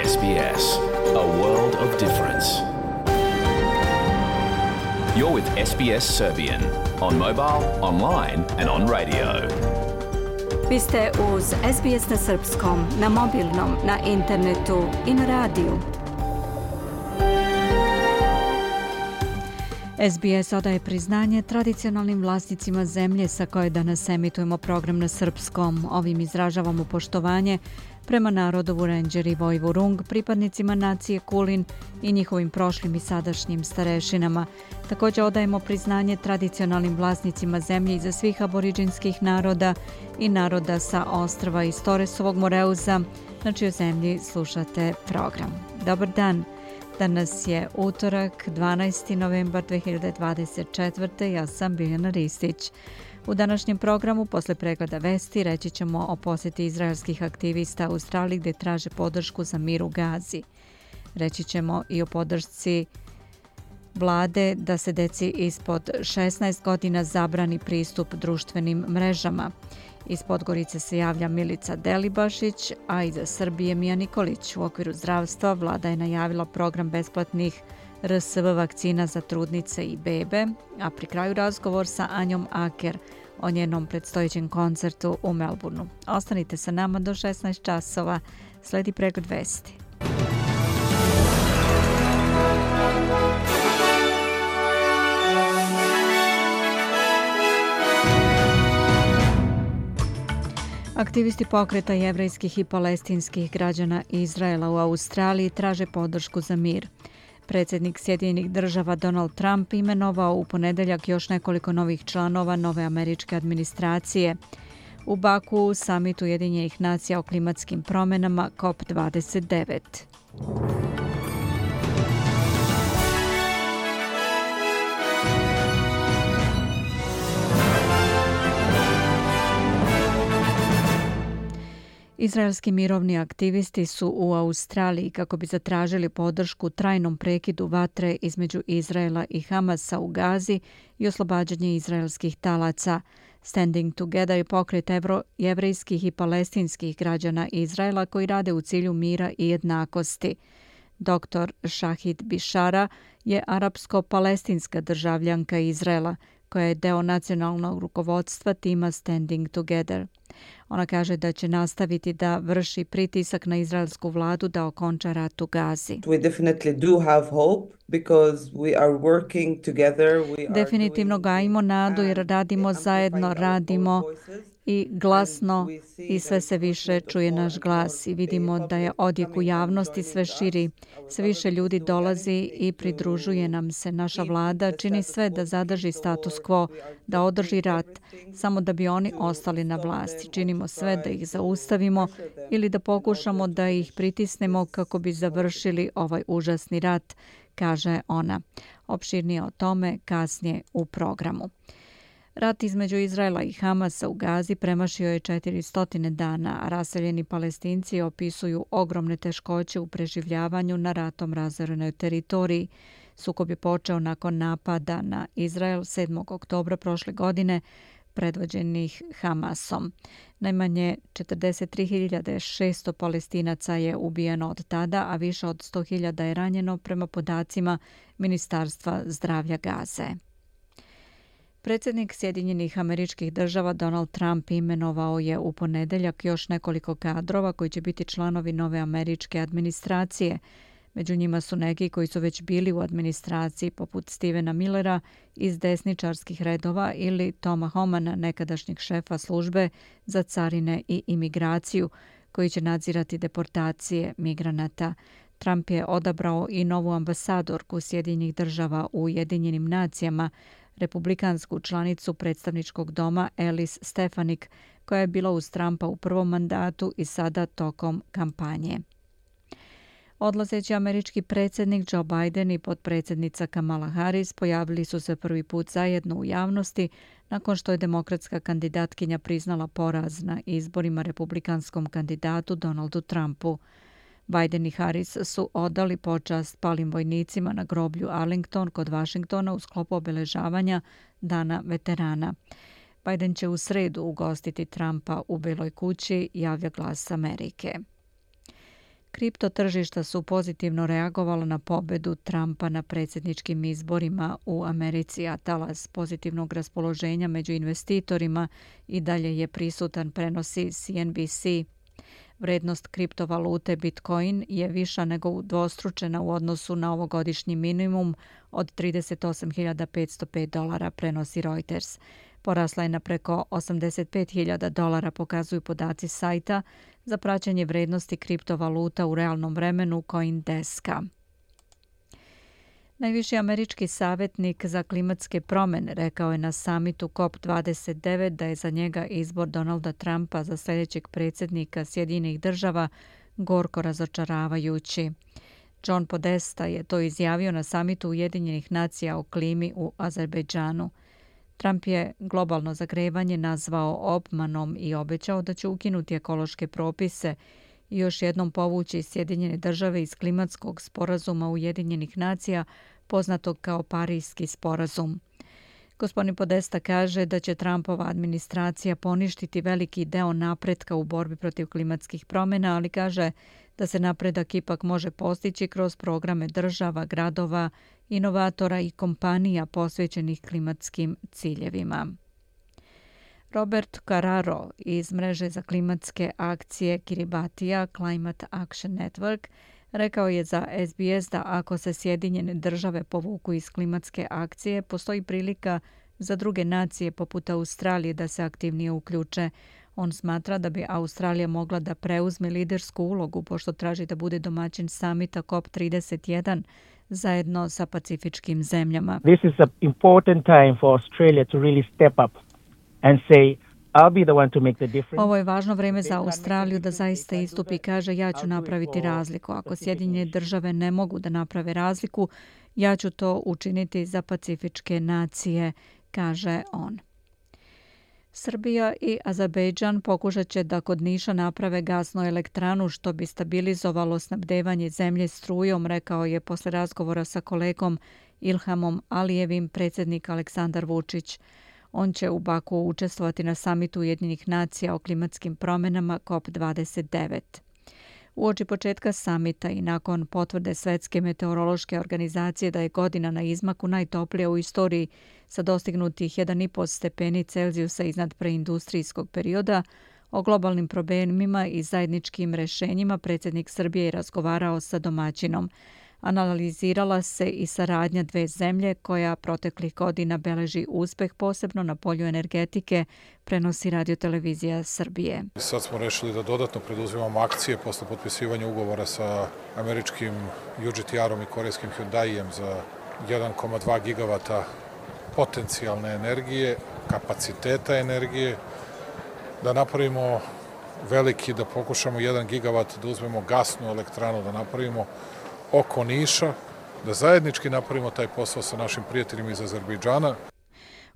SBS, a world of difference. You're with SBS Serbian on mobile, online and on radio. Vi ste uz SBS na srpskom, na mobilnom, na internetu i na radiju. SBS odaje priznanje tradicionalnim vlasnicima zemlje sa koje danas emitujemo program na srpskom. Ovim izražavamo poštovanje prema narodu Vurenđeri i Vojvurung, pripadnicima nacije Kulin i njihovim prošlim i sadašnjim starešinama. Također odajemo priznanje tradicionalnim vlasnicima zemlje iza svih aboriđinskih naroda i naroda sa ostrva iz Toresovog Moreuza, na čijoj zemlji slušate program. Dobar dan! Danas je utorak, 12. novembar 2024. Ja sam Biljana Ristić. U današnjem programu, posle pregleda vesti, reći ćemo o posjeti izraelskih aktivista u Australiji gdje traže podršku za mir u Gazi. Reći ćemo i o podršci vlade da se deci ispod 16 godina zabrani pristup društvenim mrežama. Iz Podgorice se javlja Milica Delibašić, a iza Srbije Mija Nikolić. U okviru zdravstva vlada je najavila program besplatnih RSV vakcina za trudnice i bebe, a pri kraju razgovor sa Anjom Aker o njenom predstojećem koncertu u Melbourneu. Ostanite sa nama do 16 časova. Sledi pregled vesti. Aktivisti pokreta jevrejskih i palestinskih građana Izraela u Australiji traže podršku za mir. Predsjednik Sjedinjenih država Donald Trump imenovao u ponedjeljak još nekoliko novih članova nove američke administracije. U Baku, samitu Ujedinjenih nacija o klimatskim promjenama COP29. Izraelski mirovni aktivisti su u Australiji kako bi zatražili podršku trajnom prekidu vatre između Izraela i Hamasa u Gazi i oslobađanje izraelskih talaca. Standing Together je pokret jevrejskih i palestinskih građana Izraela koji rade u cilju mira i jednakosti. Dr. Shahid Bishara je arapsko-palestinska državljanka Izraela koja je deo nacionalnog rukovodstva tima Standing Together. Ona kaže da će nastaviti da vrši pritisak na izraelsku vladu da okonča rat u Gazi. Definitivno gajimo nadu jer radimo zajedno, radimo i glasno i sve se više čuje naš glas i vidimo da je odjek u javnosti sve širi. Sve više ljudi dolazi i pridružuje nam se. Naša vlada čini sve da zadrži status quo, da održi rat, samo da bi oni ostali na vlasti. Činimo sve da ih zaustavimo ili da pokušamo da ih pritisnemo kako bi završili ovaj užasni rat, kaže ona. Opširnije o tome kasnije u programu. Rat između Izraela i Hamasa u Gazi premašio je 400 dana, a raseljeni Palestinci opisuju ogromne teškoće u preživljavanju na ratom razorenoj teritoriji. Sukob je počeo nakon napada na Izrael 7. oktobra prošle godine, predvođenih Hamasom. Najmanje 43.600 Palestinaca je ubijeno od tada, a više od 100.000 je ranjeno prema podacima Ministarstva zdravlja Gaze. Predsjednik Sjedinjenih Američkih Država Donald Trump imenovao je u ponedjeljak još nekoliko kadrova koji će biti članovi nove američke administracije. Među njima su neki koji su već bili u administraciji, poput Stevena Millera iz desničarskih redova ili Toma Homana, nekadašnjeg šefa službe za carine i imigraciju, koji će nadzirati deportacije migranata. Trump je odabrao i novu ambasadorku Sjedinjenih država u Ujedinjenim nacijama, republikansku članicu predstavničkog doma Alice Stefanik, koja je bila uz Trumpa u prvom mandatu i sada tokom kampanje. Odlazeći američki predsjednik Joe Biden i potpredsjednica Kamala Harris pojavili su se prvi put zajedno u javnosti nakon što je demokratska kandidatkinja priznala poraz na izborima republikanskom kandidatu Donaldu Trumpu. Biden i Harris su odali počast palim vojnicima na groblju Arlington kod Vašingtona u sklopu obeležavanja Dana veterana. Biden će u sredu ugostiti Trumpa u Beloj kući, javlja Glas Amerike. Kripto tržišta su pozitivno reagovala na pobedu Trumpa na predsjedničkim izborima u Americi, a talas pozitivnog raspoloženja među investitorima i dalje je prisutan, prenosi CNBC. Vrednost kriptovalute Bitcoin je viša nego udvostručena u odnosu na ovogodišnji minimum od $38.505, prenosi Reuters. Porasla je na preko $85.000, pokazuju podaci sajta za praćenje vrednosti kriptovaluta u realnom vremenu CoinDeska. Najviši američki savjetnik za klimatske promjene rekao je na samitu COP29 da je za njega izbor Donalda Trumpa za sljedećeg predsjednika Sjedinjenih država gorko razočaravajući. John Podesta je to izjavio na samitu Ujedinjenih nacija o klimi u Azerbejdžanu. Trump je globalno zagrevanje nazvao obmanom i obećao da će ukinuti ekološke propise i još jednom povući Sjedinjene države iz klimatskog sporazuma Ujedinjenih nacija, poznatog kao Parijski sporazum. Gospodin Podesta kaže da će Trumpova administracija poništiti veliki deo napretka u borbi protiv klimatskih promjena, ali kaže da se napredak ipak može postići kroz programe država, gradova, inovatora i kompanija posvećenih klimatskim ciljevima. Robert Carraro iz mreže za klimatske akcije Kiribatija Climate Action Network rekao je za SBS da ako se Sjedinjene države povuku iz klimatske akcije, postoji prilika za druge nacije poput Australije da se aktivnije uključe. On smatra da bi Australija mogla da preuzme lidersku ulogu pošto traži da bude domaćin samita COP31 zajedno sa pacifičkim zemljama. This is an important time for Australia to really step up and say I'll be the one to make the difference. Ovo je važno vrijeme za Australiju da zaista istupi i kaže ja ću napraviti razliku. Ako Sjedinjene države ne mogu da naprave razliku, ja ću to učiniti za pacifičke nacije, kaže on. Srbija i Azerbejdžan pokušat će da kod Niša naprave gasnu elektranu što bi stabilizovalo snabdevanje zemlje strujom, rekao je posle razgovora sa kolegom Ilhamom Alijevim predsjednik Aleksandar Vučić. On će u Baku učestvovati na samitu Ujedinjenih nacija o klimatskim promjenama COP29. Uoči početka samita i nakon potvrde Svetske meteorološke organizacije da je godina na izmaku najtoplija u istoriji sa dostignutih 1,5 stepeni Celzijusa iznad preindustrijskog perioda, o globalnim problemima i zajedničkim rješenjima predsjednik Srbije je razgovarao sa domaćinom. Analizirala se i saradnja dve zemlje koja proteklih godina beleži uspeh posebno na polju energetike, prenosi Radiotelevizija Srbije. Sad smo rešili da dodatno preduzimamo akcije posle potpisivanja ugovora sa američkim UGTR-om i korejskim Hyundaijem za 1,2 gigavata potencijalne energije, kapaciteta energije, da napravimo veliki, da pokušamo 1 gigavat da uzmemo gasnu elektranu, da napravimo oko Niša, da zajednički napravimo taj posao sa našim prijateljima iz Azerbejdžana.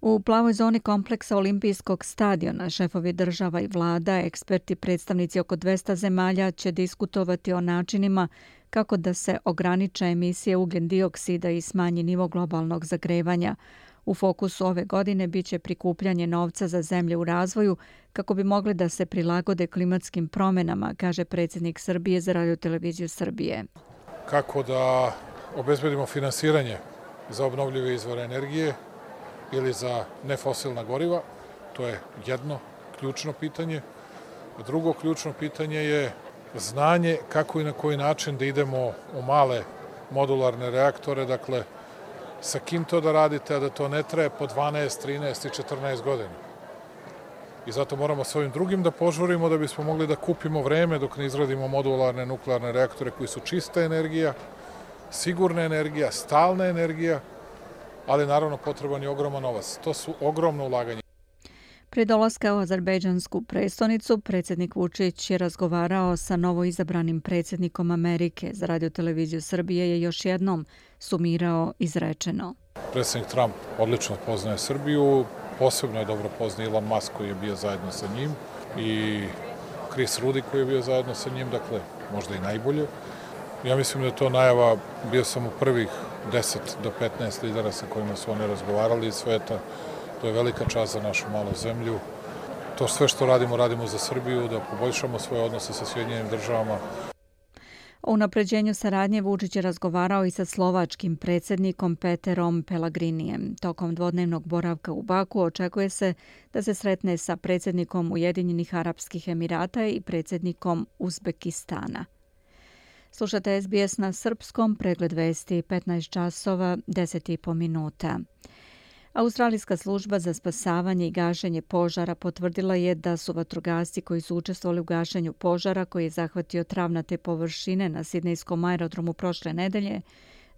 U plavoj zoni kompleksa Olimpijskog stadiona šefovi država i vlada, eksperti, predstavnici oko 200 zemalja će diskutovati o načinima kako da se ograniče emisije ugljen dioksida i smanji nivo globalnog zagrevanja. U fokusu ove godine biće prikupljanje novca za zemlje u razvoju kako bi mogli da se prilagode klimatskim promjenama, kaže predsjednik Srbije za Radioteleviziju Srbije. Kako da obezbedimo finansiranje za obnovljive izvore energije ili za nefosilna goriva, to je jedno ključno pitanje. Drugo ključno pitanje je znanje kako i na koji način da idemo u male modularne reaktore, dakle sa kim to da radite, a da to ne traje po 12, 13 i 14 godina. I zato moramo s ovim drugim da požurimo da bismo mogli da kupimo vreme dok ne izradimo modularne nuklearne reaktore koji su čista energija, sigurna energija, stalna energija, ali naravno potreban je ogroman novac. To su ogromno ulaganje. Prije dolaska u azerbejdžansku prestonicu, predsjednik Vučić je razgovarao sa novoizabranim predsjednikom Amerike. Za Radioteleviziju Srbije je još jednom sumirao izrečeno. Predsjednik Trump odlično poznaje Srbiju, posebno je dobro poznaje Elon Musk koji je bio zajedno sa njim i Chris Rudy koji je bio zajedno sa njim, dakle možda i najbolje. Ja mislim da je to najava, bio sam u prvih 10 do 15 lidera sa kojima su oni razgovarali iz sveta. To je velika čast za našu malu zemlju. To sve što radimo, radimo za Srbiju, da poboljšamo svoje odnose sa Sjedinjenim državama. O unapređenju saradnje Vučić je razgovarao i sa slovačkim predsjednikom Peterom Pellegrinijem. Tokom dvodnevnog boravka u Baku očekuje se da se sretne sa predsjednikom Ujedinjenih Arapskih Emirata i predsjednikom Uzbekistana. Slušate SBS na srpskom, pregled vesti 15 časova 10,5 minuta. Australijska služba za spasavanje i gašenje požara potvrdila je da su vatrogasci koji su učestvovali u gašenju požara koji je zahvatio travnate površine na sidnejskom aerodromu prošle nedelje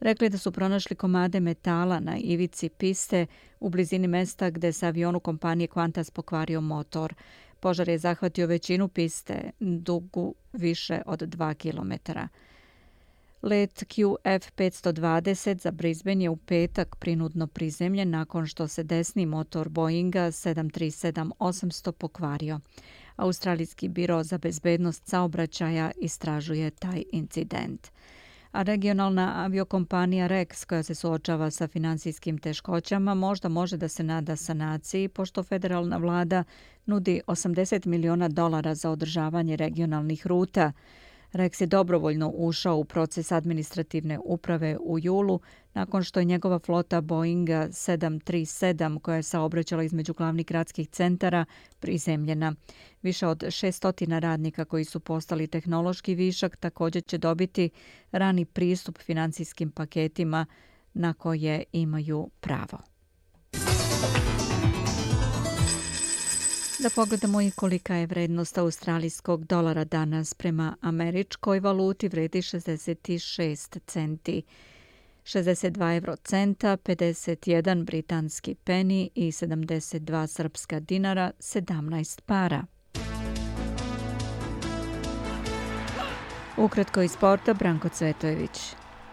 rekli da su pronašli komade metala na ivici piste u blizini mesta gde se avionu kompanije Qantas pokvario motor. Požar je zahvatio većinu piste, dugu više od 2 kilometara. Let QF520 za Brisbane je u petak prinudno prizemljen nakon što se desni motor Boeinga 737-800 pokvario. Australijski biro za bezbednost saobraćaja istražuje taj incident. A regionalna aviokompanija Rex, koja se suočava sa finansijskim teškoćama, možda može da se nada sanaciji, pošto federalna vlada nudi $80 miliona za održavanje regionalnih ruta. Rex je dobrovoljno ušao u proces administrativne uprave u julu nakon što je njegova flota Boeinga 737 koja je saobraćala između glavnih gradskih centara prizemljena. Više od 600 radnika koji su postali tehnološki višak također će dobiti rani pristup financijskim paketima na koje imaju pravo. Da pogledamo i kolika je vrednost australijskog dolara danas. Prema američkoj valuti vredi 66 centi, 62 eurocenta, 51 britanski peni i 72 srpska dinara, 17 para. Ukratko iz sporta, Branko Cvetojević.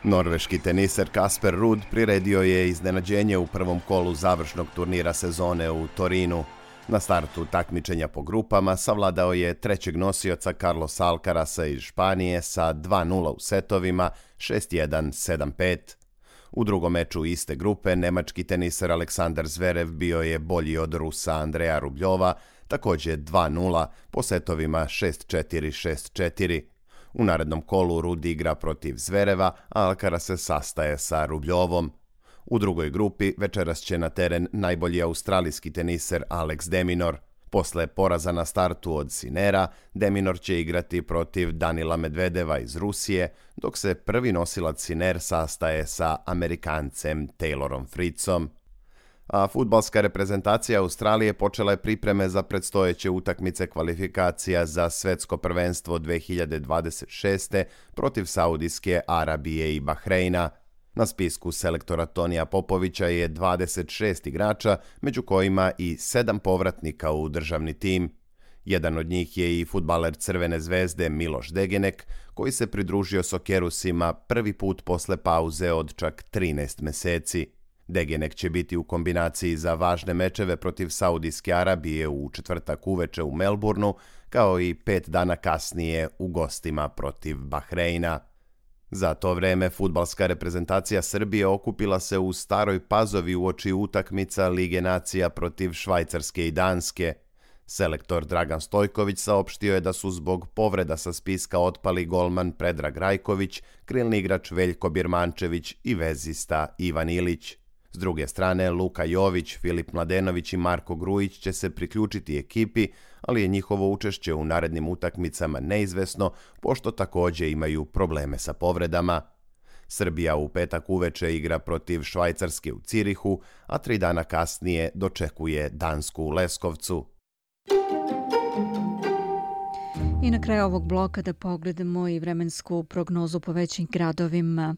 Norveški teniser Kasper Ruud priredio je iznenađenje u prvom kolu završnog turnira sezone u Torinu. Na startu takmičenja po grupama savladao je trećeg nosioca Carlosa Alcarasa iz Španije sa 2:0 u setovima 6:1, 7:5. U drugom meču iste grupe nemački teniser Aleksandar Zverev bio je bolji od Rusa Andreja Rubljova, također 2:0 po setovima 6:4, 6:4. U narednom kolu Ruud igra protiv Zvereva, a Alcaraz se sastaje sa Rubljovom. U drugoj grupi večeras će na teren najbolji australijski teniser Alex de Minaur. Posle poraza na startu od Sinera, de Minaur će igrati protiv Danila Medvedeva iz Rusije, dok se prvi nosilac Siner sastaje sa Amerikancem Taylorom Fritzom. A fudbalska reprezentacija Australije počela je pripreme za predstojeće utakmice kvalifikacija za svetsko prvenstvo 2026. protiv Saudijske Arabije i Bahreina. Na spisku selektora Tonija Popovića je 26 igrača, među kojima i 7 povratnika u državni tim. Jedan od njih je i fudbaler Crvene zvezde Miloš Degenek, koji se pridružio Sokerusima prvi put posle pauze od čak 13 meseci. Degenek će biti u kombinaciji za važne mečeve protiv Saudijske Arabije u četvrtak uveče u Melbourneu, kao i 5 dana kasnije u gostima protiv Bahreina. Za to vreme fudbalska reprezentacija Srbije okupila se u Staroj Pazovi uoči utakmica Lige nacija protiv Švajcarske i Danske. Selektor Dragan Stojković saopštio je da su zbog povreda sa spiska otpali golman Predrag Rajković, krilni igrač Veljko Birmančević i vezista Ivan Ilić. S druge strane, Luka Jović, Filip Mladenović i Marko Grujić će se priključiti ekipi, ali je njihovo učešće u narednim utakmicama neizvesno, pošto također imaju probleme sa povredama. Srbija u petak uveče igra protiv Švajcarske u Cirihu, a 3 dana kasnije dočekuje Dansku u Leskovcu. I na kraju ovog bloka da pogledamo i vremensku prognozu po većim gradovima.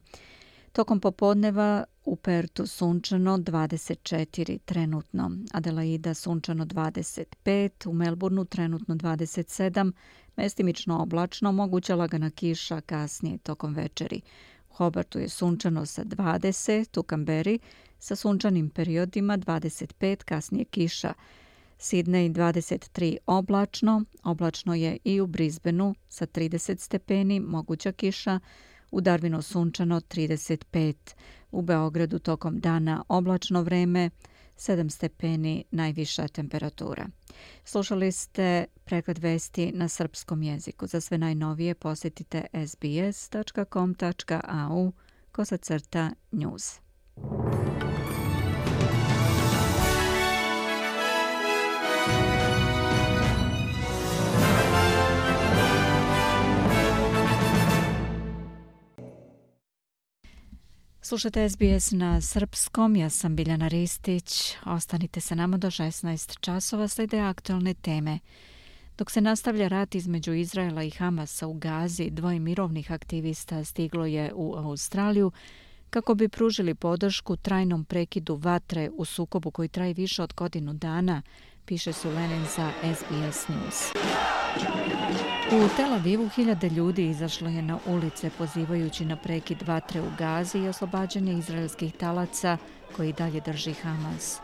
Tokom popodneva u Pertu sunčano 24 trenutno, Adelaida sunčano 25, u Melbourneu trenutno 27, mestimično oblačno, moguća lagana kiša kasnije tokom večeri. U Hobartu je sunčano sa 20, u Kamberi sa sunčanim periodima 25, kasnije kiša. Sidney 23 oblačno, oblačno je i u Brisbaneu sa 30 stepeni, moguća kiša. U Darwinu sunčano 35, u Beogradu tokom dana oblačno vreme, 7 stepeni najviša temperatura. Slušali ste pregled vesti na srpskom jeziku. Za sve najnovije posjetite sbs.com.au/news. Slušate SBS na srpskom, ja sam Biljana Ristić. Ostanite sa nama do 16 časova, slijede aktualne teme. Dok se nastavlja rat između Izraela i Hamasa u Gazi, 2 mirovnih aktivista stiglo je u Australiju kako bi pružili podršku trajnom prekidu vatre u sukobu koji traje više od godinu dana, piše Sulenin za SBS News. U Tel Avivu 1000 ljudi izašlo je na ulice pozivajući na prekid vatre u Gazi i oslobađanje izraelskih talaca koji dalje drži Hamas.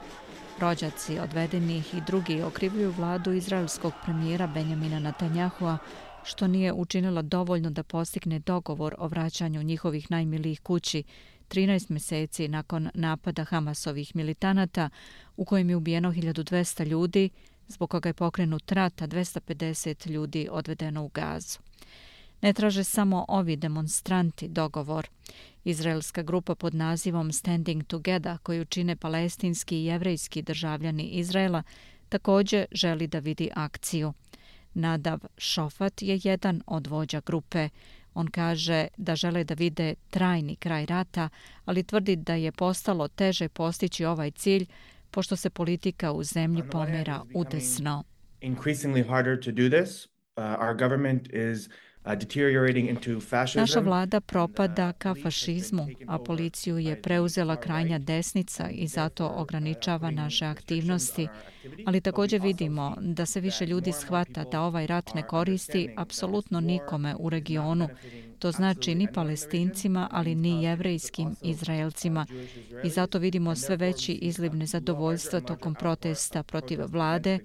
Rođaci odvedenih i drugi okrivljuju vladu izraelskog premijera Benjamina Netanjahua što nije učinila dovoljno da postigne dogovor o vraćanju njihovih najmilijih kući 13 mjeseci nakon napada Hamasovih militanata u kojem je ubijeno 1200 ljudi, zbog koga je pokrenut rat, a 250 ljudi odvedeno u Gazu. Ne traže samo ovi demonstranti dogovor. Izraelska grupa pod nazivom Standing Together, koju čine palestinski i jevrejski državljani Izraela, također želi da vidi akciju. Nadav Šofat je jedan od vođa grupe. On kaže da žele da vide trajni kraj rata, ali tvrdi da je postalo teže postići ovaj cilj pošto se politika u zemlji pomera udesno. Naša vlada propada ka fašizmu, a policiju je preuzela krajnja desnica i zato ograničava naše aktivnosti. Ali također vidimo da se više ljudi shvata da ovaj rat ne koristi apsolutno nikome u regionu. To znači ni Palestincima, ali ni jevrejskim Izraelcima. I zato vidimo sve veći izliv nezadovoljstva tokom protesta protiv vlade,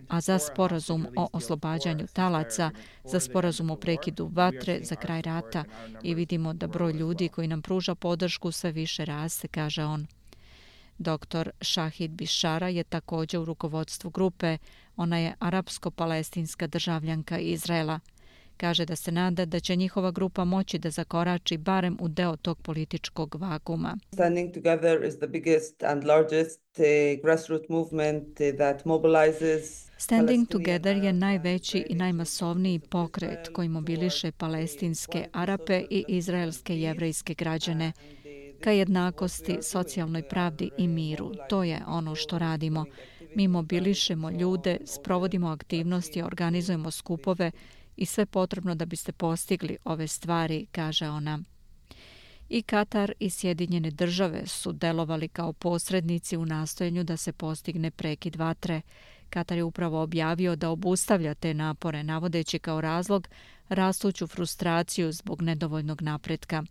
a za sporazum o oslobađanju talaca, za sporazum o prekidu vatre, za kraj rata, i vidimo da broj ljudi koji nam pruža podršku sve više raste, kaže on. Dr. Shahid Bishara je također u rukovodstvu grupe. Ona je arapsko-palestinska državljanka Izraela. Kaže da se nada da će njihova grupa moći da zakorači barem u deo tog političkog vakuma. Standing Together is the biggest and largest grassroots movement that mobilizes. Standing Together je najveći i najmasovniji pokret koji mobiliše palestinske Arape i izraelske jevrejske građane ka jednakosti, socijalnoj pravdi i miru. To je ono što radimo. Mi mobilišemo ljude, sprovodimo aktivnosti, organizujemo skupove i sve potrebno da biste postigli ove stvari, kaže ona. I Katar i Sjedinjene države su delovali kao posrednici u nastojanju da se postigne prekid vatre. Katar je upravo objavio da obustavlja te napore, navodeći kao razlog rastuću frustraciju zbog nedovoljnog napretka.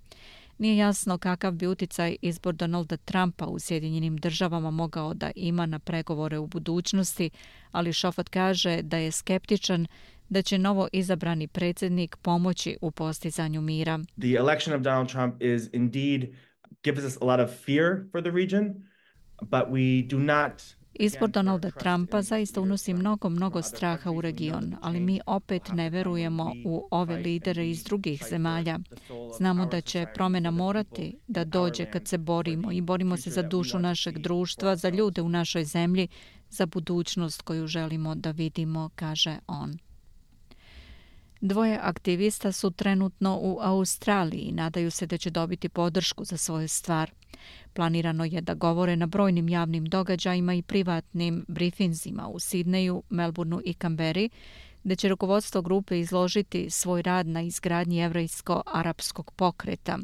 Nije jasno kakav bi uticaj izbor Donalda Trumpa u Sjedinjenim državama mogao da ima na pregovore u budućnosti, ali Šofat kaže da je skeptičan da će novo izabrani predsjednik pomoći u postizanju mira. The election of Donald Trump is indeed gives us a lot of fear for the region, but we do not. Izbor Donalda Trumpa zaista unosi mnogo straha u region, ali mi opet ne verujemo u ove lidere iz drugih zemalja. Znamo da će promjena morati da dođe kad se borimo i borimo se za dušu našeg društva, za ljude u našoj zemlji, za budućnost koju želimo da vidimo, kaže on. 2 aktivista su trenutno u Australiji i nadaju se da će dobiti podršku za svoju stvar. Planirano je da govore na brojnim javnim događajima i privatnim brifinzima u Sidneju, Melbourneu i Canberri, gdje će rukovodstvo grupe izložiti svoj rad na izgradnji jevrejsko-arapskog pokreta.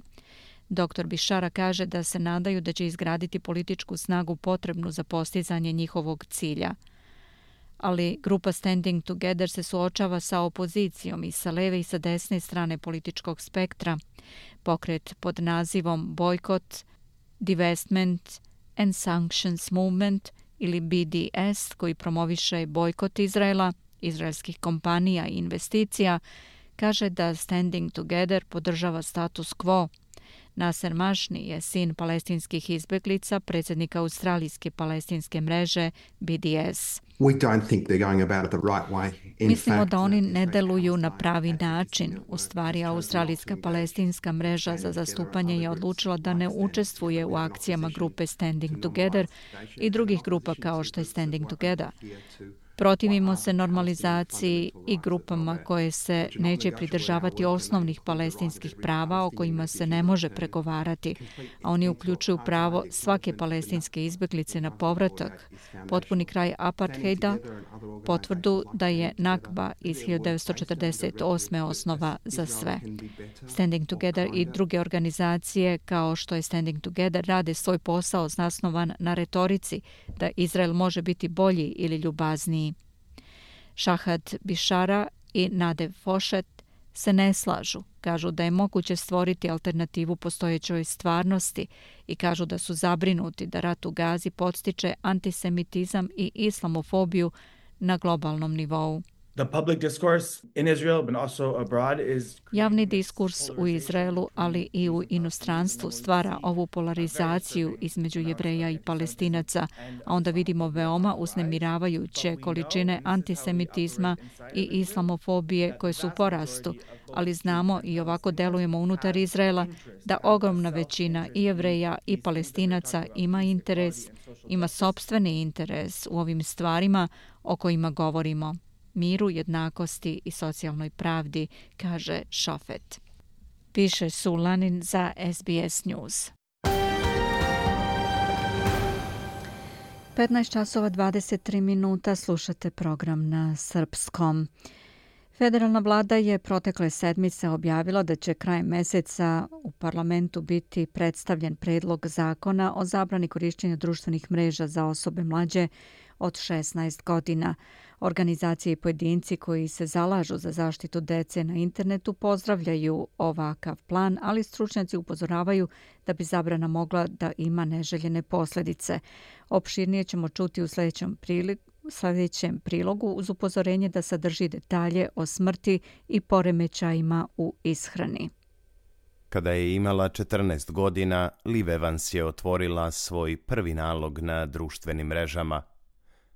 Dr. Bishara kaže da se nadaju da će izgraditi političku snagu potrebnu za postizanje njihovog cilja. Ali grupa Standing Together se suočava sa opozicijom i sa leve i sa desne strane političkog spektra. Pokret pod nazivom Boycott, Divestment and Sanctions Movement ili BDS, koji promoviše bojkot Izraela, izraelskih kompanija i investicija, kaže da Standing Together podržava status quo. Nasser Mašni je sin palestinskih izbeglica, predsjednika australijske palestinske mreže BDS. Mislimo da oni ne deluju na pravi način. U stvari, australijska palestinska mreža za zastupanje je odlučila da ne učestvuje u akcijama grupe Standing Together i drugih grupa kao što je Standing Together. Protivimo se normalizaciji i grupama koje se neće pridržavati osnovnih palestinskih prava o kojima se ne može pregovarati, a oni uključuju pravo svake palestinske izbeglice na povratak, potpuni kraj apartheida, potvrdu da je Nakba iz 1948. osnova za sve. Standing Together i druge organizacije kao što je Standing Together rade svoj posao zasnovan na retorici da Izrael može biti bolji ili ljubazniji. Šahat Bišara i Nadev Fošet se ne slažu. Kažu da je moguće stvoriti alternativu postojećoj stvarnosti i kažu da su zabrinuti da rat u Gazi podstiče antisemitizam i islamofobiju na globalnom nivou. Javni diskurs u Izraelu, ali i u inostranstvu stvara ovu polarizaciju između Jevreja i Palestinaca, a onda vidimo veoma uznemiravajuće količine antisemitizma i islamofobije koje su u porastu, ali znamo i ovako delujemo unutar Izraela da ogromna većina i Jevreja i Palestinaca ima sopstveni interes u ovim stvarima o kojima govorimo. Miru, jednakosti i socijalnoj pravdi, kaže Šofet. Piše Sulanin za SBS News. 15 časova 23 minuta slušate program na srpskom. Federalna vlada je protekle sedmice objavila da će krajem meseca u parlamentu biti predstavljen predlog zakona o zabrani korišćenja društvenih mreža za osobe mlađe od 16 godina. Organizacije i pojedinci koji se zalažu za zaštitu dece na internetu pozdravljaju ovakav plan, ali stručnjaci upozoravaju da bi zabrana mogla da ima neželjene posljedice. Opširnije ćemo čuti u sljedećem prilogu uz upozorenje da sadrži detalje o smrti i poremećajima u ishrani. Kada je imala 14 godina, Liv Evans je otvorila svoj prvi nalog na društvenim mrežama.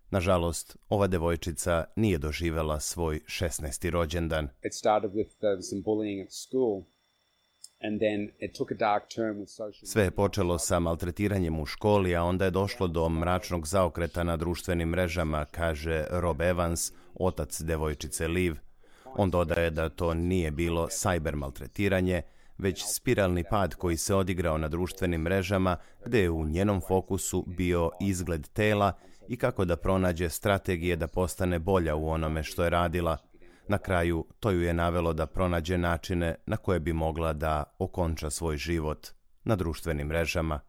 Nažalost, ova devojčica nije doživjela svoj 16. rođendan. Sve je počelo sa maltretiranjem u školi, a onda je došlo do mračnog zaokreta na društvenim mrežama, kaže Rob Evans, otac devojčice Liv. On dodaje da to nije bilo sajber maltretiranje, već spiralni pad koji se odigrao na društvenim mrežama, gdje je u njenom fokusu bio izgled tela i kako da pronađe strategije da postane bolja u onome što je radila. Na kraju, to ju je navelo da pronađe načine na koje bi mogla da okonča svoj život na društvenim mrežama.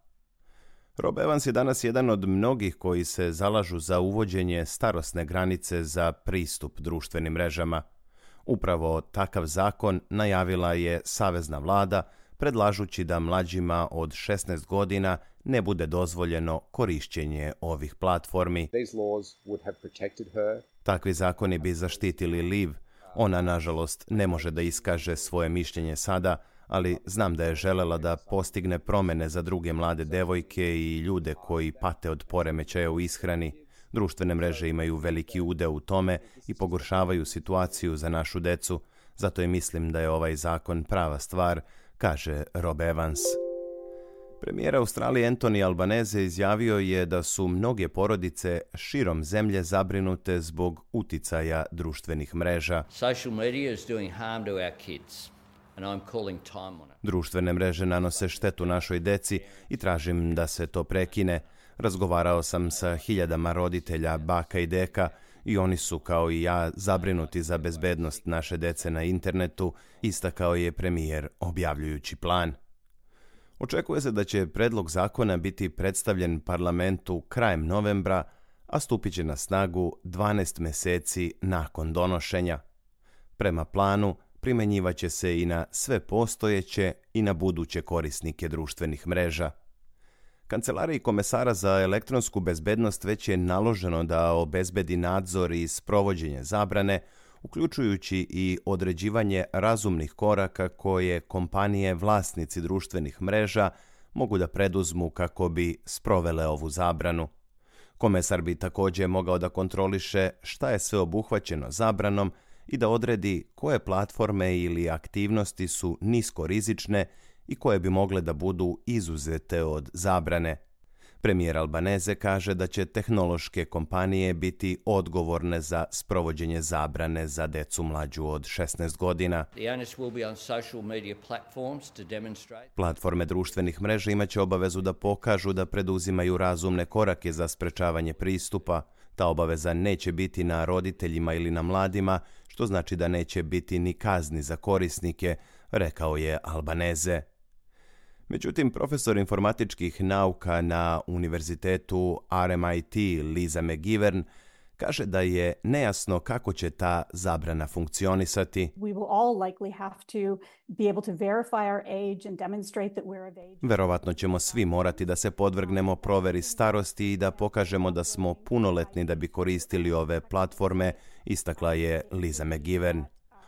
Rob Evans je danas jedan od mnogih koji se zalažu za uvođenje starosne granice za pristup društvenim mrežama. Upravo takav zakon najavila je savezna vlada, predlažući da mlađima od 16 godina ne bude dozvoljeno korišćenje ovih platformi. Takvi zakoni bi zaštitili Liv. Ona, nažalost, ne može da iskaže svoje mišljenje sada, ali znam da je želela da postigne promjene za druge mlade devojke i ljude koji pate od poremećaja u ishrani. Društvene mreže imaju veliki udeo u tome i pogoršavaju situaciju za našu decu, zato i mislim da je ovaj zakon prava stvar, kaže Rob Evans. Premijer Australije Anthony Albanese izjavio je da su mnoge porodice širom zemlje zabrinute zbog uticaja društvenih mreža. Društvene mreže nanose štetu našoj deci i tražim da se to prekine. Razgovarao sam sa hiljadama roditelja, baka i deka, i oni su, kao i ja, zabrinuti za bezbednost naše dece na internetu, istakao je premijer objavljujući plan. Očekuje se da će predlog zakona biti predstavljen parlamentu krajem novembra, a stupit će na snagu 12 mjeseci nakon donošenja. Prema planu, primjenjivaće se i na sve postojeće i na buduće korisnike društvenih mreža. Kancelariji komesara za elektronsku bezbednost već je naloženo da obezbedi nadzor i sprovođenje zabrane, uključujući i određivanje razumnih koraka koje kompanije vlasnici društvenih mreža mogu da preduzmu kako bi sprovele ovu zabranu. Komesar bi također mogao da kontroliše šta je sve obuhvaćeno zabranom i da odredi koje platforme ili aktivnosti su niskorizične i koje bi mogle da budu izuzete od zabrane. Premijer Albanese kaže da će tehnološke kompanije biti odgovorne za sprovođenje zabrane za decu mlađu od 16 godina. Platforme društvenih mreža imaće obavezu da pokažu da preduzimaju razumne korake za sprečavanje pristupa. Ta obaveza neće biti na roditeljima ili na mladima, što znači da neće biti ni kazni za korisnike, rekao je Albanese. Međutim, profesor informatičkih nauka na univerzitetu RMIT Lisa McGivern kaže da je nejasno kako će ta zabrana funkcionisati. Verovatno ćemo svi morati da se podvrgnemo proveri starosti i da pokažemo da smo punoletni da bi koristili ove platforme, istakla je Lisa McGivern.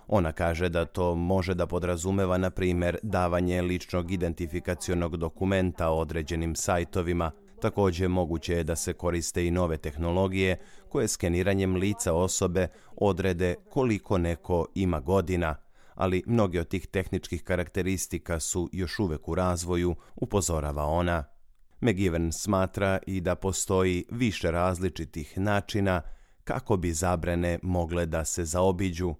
Ona kaže da to može da podrazumeva, na primjer, davanje ličnog identifikacionog dokumenta određenim sajtovima. Također moguće je da se koriste i nove tehnologije koje skeniranjem lica osobe odrede koliko neko ima godina, ali mnoge od tih tehničkih karakteristika su još uvek u razvoju, upozorava ona. McGivern smatra i da postoji više različitih načina kako bi zabrane mogle da se zaobiđu.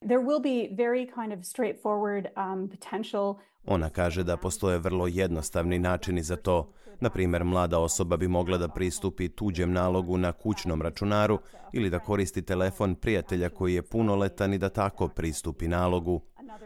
Ona kaže da postoje vrlo jednostavni načini za to. Na primjer, mlada osoba bi mogla da pristupi tuđem nalogu na kućnom računaru ili da koristi telefon prijatelja koji je punoletan i da tako pristupi nalogu.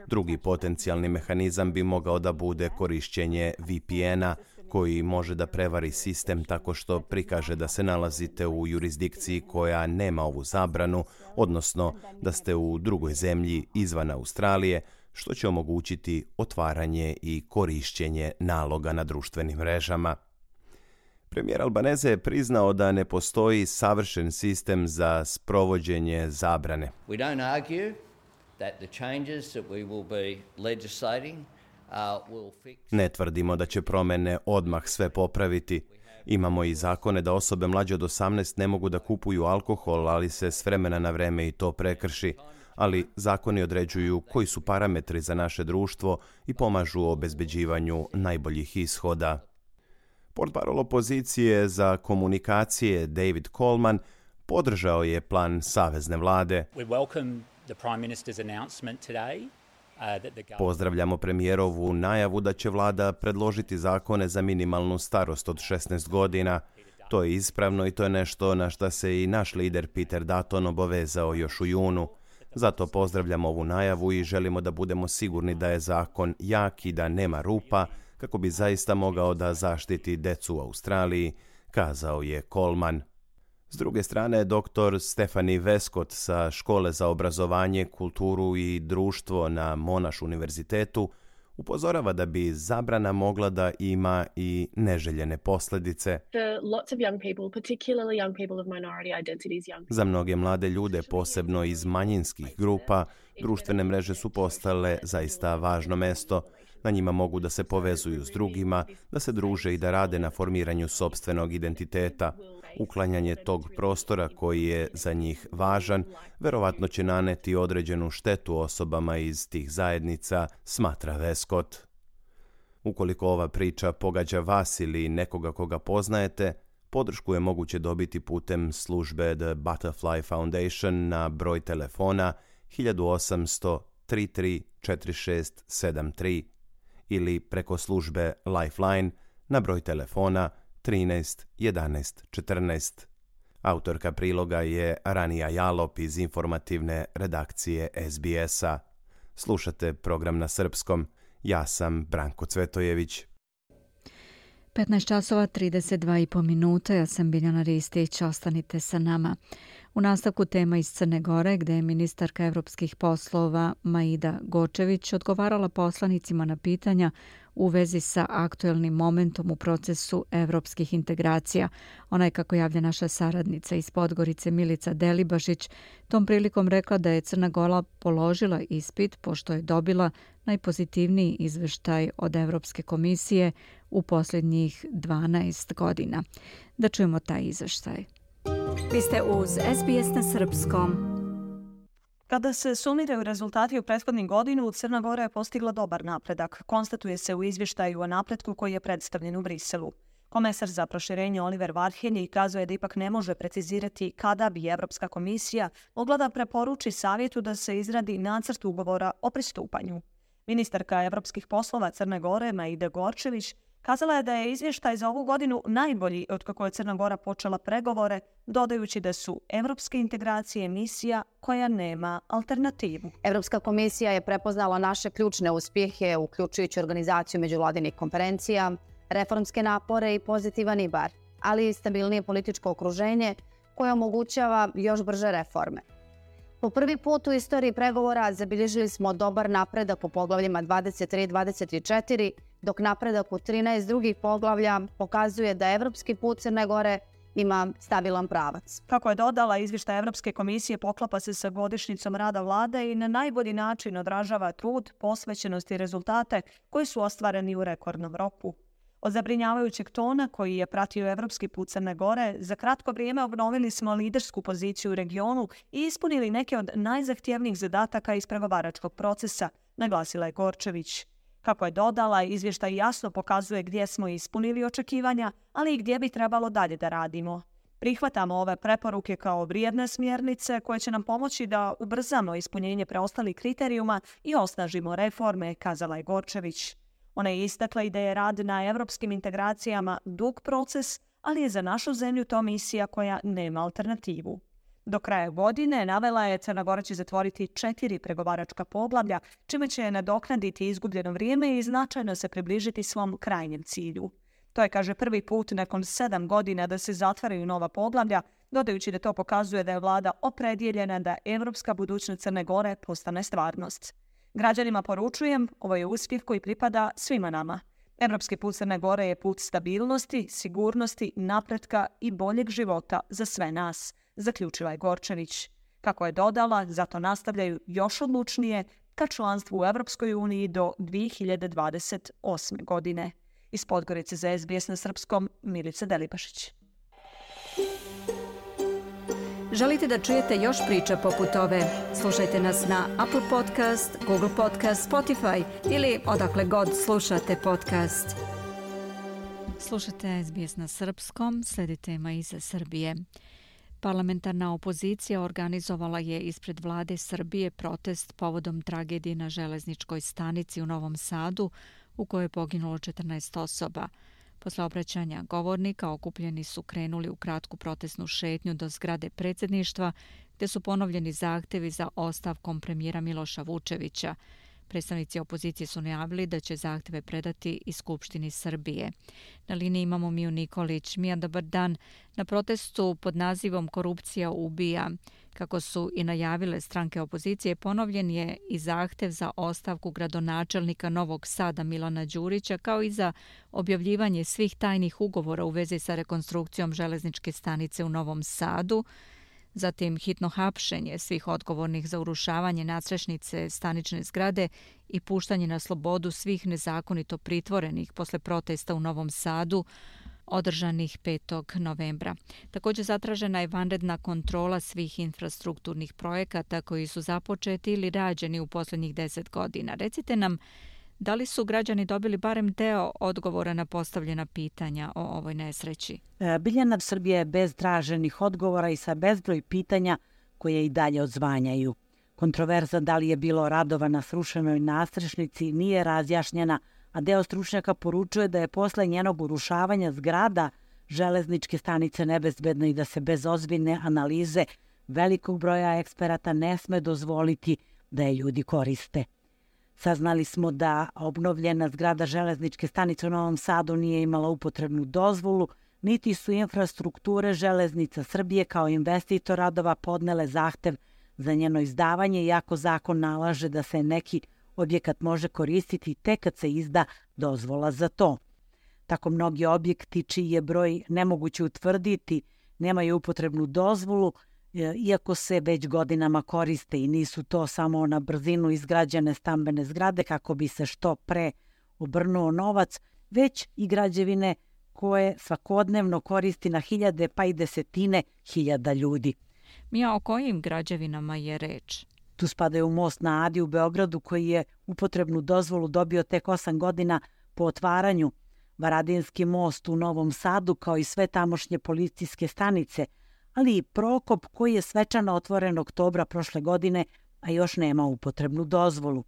Drugi potencijalni mehanizam bi mogao da bude korišćenje VPN-a, koji može da prevari sistem tako što prikaže da se nalazite u jurisdikciji koja nema ovu zabranu, odnosno da ste u drugoj zemlji izvan Australije, što će omogućiti otvaranje i korišćenje naloga na društvenim mrežama. Premijer Albanese je priznao da ne postoji savršen sistem za sprovođenje zabrane. We don't argue that the changes that we will be legislating Ne tvrdimo da će promjene odmah sve popraviti. Imamo i zakone da osobe mlađe od 18 ne mogu da kupuju alkohol, ali se s vremena na vreme i to prekrši. Ali zakoni određuju koji su parametri za naše društvo i pomažu u obezbeđivanju najboljih ishoda. Portparol opozicije za komunikacije David Coleman podržao je plan savezne vlade. We welcome the Prime Minister's announcement today. Pozdravljamo premijerovu najavu da će vlada predložiti zakone za minimalnu starost od 16 godina. To je ispravno i to je nešto na šta se i naš lider Peter Dutton obavezao još u junu. Zato pozdravljamo ovu najavu i želimo da budemo sigurni da je zakon jak i da nema rupa, kako bi zaista mogao da zaštiti decu u Australiji, kazao je Coleman. S druge strane, dr. Stephanie Westcott sa Škole za obrazovanje, kulturu i društvo na Monash univerzitetu upozorava da bi zabrana mogla da ima i neželjene posljedice. Za mnoge mlade ljude, posebno iz manjinskih grupa, društvene mreže su postale zaista važno mesto. Na njima mogu da se povezuju s drugima, da se druže i da rade na formiranju sopstvenog identiteta. Uklanjanje tog prostora koji je za njih važan, verovatno će naneti određenu štetu osobama iz tih zajednica, smatra Westcott. Ukoliko ova priča pogađa vas ili nekoga koga poznajete, podršku je moguće dobiti putem službe The Butterfly Foundation na broj telefona 1800 33 4673 ili preko službe Lifeline na broj telefona 13 11 14. Autorka priloga je Ranija Jalop iz informativne redakcije SBS-a. Slušate program na srpskom. Ja sam Branko Cvetojević. 15 časova 32,5 minuta. Ja sam Biljana Ristić. Ostanite sa nama. U nastavku tema iz Crne Gore, gde je ministarka evropskih poslova Maida Gočević odgovarala poslanicima na pitanja u vezi sa aktuelnim momentom u procesu evropskih integracija. Ona je, kako javlja naša saradnica iz Podgorice Milica Delibašić, tom prilikom rekla da je Crna Gora položila ispit pošto je dobila najpozitivniji izveštaj od Evropske komisije u posljednjih 12 godina. Da čujemo taj izveštaj. Vi ste uz SBS na srpskom. Kada se sumiraju rezultati u prethodnih godinu, Crna Gora je postigla dobar napredak. Konstatuje se u izvještaju o napretku koji je predstavljen u Briselu. Komesar za proširenje Oliver Varhelyi kazuje da ipak ne može precizirati kada bi Evropska komisija mogla da preporuči savjetu da se izradi nacrt ugovora o pristupanju. Ministarka evropskih poslova Crne Gore Maida Gorčević kazala je da je izvještaj za ovu godinu najbolji od kako je Crna Gora počela pregovore, dodajući da su evropske integracije misija koja nema alternativu. Evropska komisija je prepoznala naše ključne uspjehe, uključujući organizaciju međuvladinih konferencija, reformske napore i pozitivan IBAR, ali i stabilnije političko okruženje koje omogućava još brže reforme. Po prvi put u istoriji pregovora zabilježili smo dobar napredak u poglavljima 23 i 24, dok napredak u 13 drugih poglavlja pokazuje da evropski put Crne Gore ima stabilan pravac. Kako je dodala, izvještaj Evropske komisije poklapa se sa godišnjicom rada vlade i na najbolji način odražava trud, posvećenost i rezultate koji su ostvareni u rekordnom roku. Od zabrinjavajućeg tona koji je pratio evropski put Crne Gore, za kratko vrijeme obnovili smo lidersku poziciju u regionu i ispunili neke od najzahtjevnijih zadataka iz pregovaračkog procesa, naglasila je Gorčević. Kako je dodala, izvještaj jasno pokazuje gdje smo ispunili očekivanja, ali i gdje bi trebalo dalje da radimo. Prihvatamo ove preporuke kao vrijedne smjernice koje će nam pomoći da ubrzamo ispunjenje preostalih kriterijuma i osnažimo reforme, kazala je Gorčević. Ona je istakla i da je rad na evropskim integracijama dug proces, ali je za našu zemlju to misija koja nema alternativu. Do kraja godine navela je Crna Gora će zatvoriti 4 pregovaračka poglavlja, čime će nadoknaditi izgubljeno vrijeme i značajno se približiti svom krajnjem cilju. To je, kaže, prvi put nakon 7 godina da se zatvaraju nova poglavlja, dodajući da to pokazuje da je vlada opredjeljena da evropska budućnost Crne Gore postane stvarnost. Građanima poručujem, ovo je uspjeh koji pripada svima nama. Evropski put Crne Gore je put stabilnosti, sigurnosti, napretka i boljeg života za sve nas, zaključila je Gorčević. Kako je dodala, zato nastavljaju još odlučnije ka članstvu u Evropskoj uniji do 2028. godine. Iz Podgorice za SBS na srpskom, Milica Delibašić. Želite da čujete još priča poput ove? Slušajte nas na Apple Podcast, Google Podcast, Spotify ili odakle god slušate podcast. Slušate SBS na srpskom, sledi tema iz Srbije. Parlamentarna opozicija organizovala je ispred vlade Srbije protest povodom tragedije na železničkoj stanici u Novom Sadu u kojoj je poginulo 14 osoba. Posle obraćanja govornika okupljeni su krenuli u kratku protestnu šetnju do zgrade predsjedništva gdje su ponovljeni zahtjevi za ostavkom premijera Miloša Vučevića. Predstavnici opozicije su najavili da će zahtjeve predati i Skupštini Srbije. Na liniji imamo Miju Nikolić. Mija, dobar dan. Na protestu pod nazivom Korupcija ubija, kako su i najavile stranke opozicije, ponovljen je i zahtjev za ostavku gradonačelnika Novog Sada Milana Đurića, kao i za objavljivanje svih tajnih ugovora u vezi sa rekonstrukcijom železničke stanice u Novom Sadu, zatim hitno hapšenje svih odgovornih za urušavanje nadstrešnice stanične zgrade i puštanje na slobodu svih nezakonito pritvorenih posle protesta u Novom Sadu održanih 5. novembra. Također zatražena je vanredna kontrola svih infrastrukturnih projekata koji su započeti ili rađeni u posljednjih 10 godina. Recite nam, da li su građani dobili barem deo odgovora na postavljena pitanja o ovoj nesreći? Biljana, Srbija je bez traženih odgovora i sa bezbroj pitanja koje i dalje odzvanjaju. Kontroverza da li je bilo radova na srušenoj nadstrešnici nije razjašnjena, a deo stručnjaka poručuje da je posle njenog urušavanja zgrada železničke stanice nebezbedna i da se bez ozbiljne analize velikog broja eksperata ne sme dozvoliti da je ljudi koriste. Saznali smo da obnovljena zgrada železničke stanice u Novom Sadu nije imala upotrebnu dozvolu, niti su infrastrukture Železnica Srbije kao investitor radova podnele zahtev za njeno izdavanje, iako zakon nalaže da se neki objekat može koristiti tek kad se izda dozvola za to. Tako mnogi objekti čiji je broj nemoguće utvrditi nemaju upotrebnu dozvolu, iako se već godinama koriste i nisu to samo na brzinu izgrađene stambene zgrade kako bi se što pre obrnuo novac, već i građevine koje svakodnevno koristi na hiljade pa i desetine hiljada ljudi. Mija, o kojim građevinama je reč? Tu spadaju most na Adi u Beogradu koji je upotrebnu dozvolu dobio tek 8 godina po otvaranju, Varadinski most u Novom Sadu kao i sve tamošnje policijske stanice, ali i Prokop koji je svečano otvoren oktobra prošle godine, a još nema upotrebnu dozvolu.